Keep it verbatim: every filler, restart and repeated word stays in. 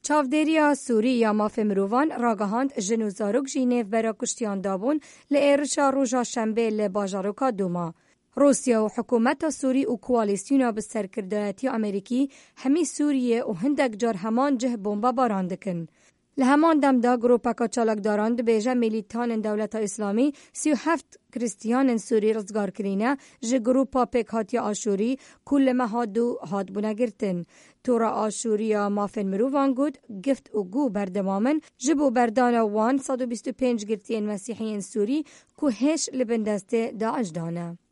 Çavdêriya Sûrî ya Mafê Mirovan ragihand, jin û zarok jî nêvbera kuştiyan dabûn li êrişa roja Şembê li bajaroka Dûma. Rûsya û hikûmeta Sûrî û koalîsyona bi serkirdayetiya Amerîkî hemî Sûriyê û hindek car heman cih bombebaran dikin. Li heman dem de grûpeka çalakdaran dibêje, mîlîtanên Dewleta Îslamî sî û heft Kristiyanên Sûrî rizgar kirîne ji grûpa pêkhatiya Aşûrî ku li meha dû hatbûne girtin. Tora Aşûriya Mafên Mirovan got, gift û gû berdewam in ji bo berdana wan sed û bîst û pênc girtiyên Mesîhiyên Sûrî ku hêş li bin destê DAIŞ de ne.